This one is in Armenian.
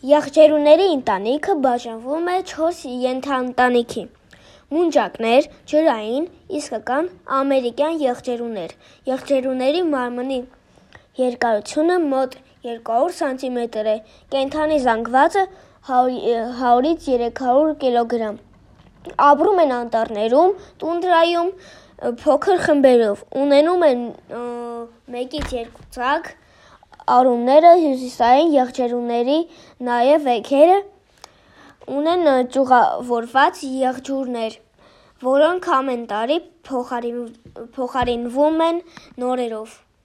Եղջերուների ընտանիքը բաժանվում է 4 ենթաընտանիքի. մունջակներ, ջրային, իսկական, ամերիկյան եղջերուներ։ Եղջերուների մարմնի երկարությունը մոտ 200 սանտիմետր է, կենդանի զանգվածը 100-ից 300 կգ. Ապրում են անտառներում, տունդրայում, փոքր խմբերով, ունենում են 1-ից 2 ծագ, արուները հյուսիսային եղջերուների, նաև էգերը ունեն ճյուղավորված եղջյուրներ, որոնք ամեն տարի փոխարինվում են նորերով։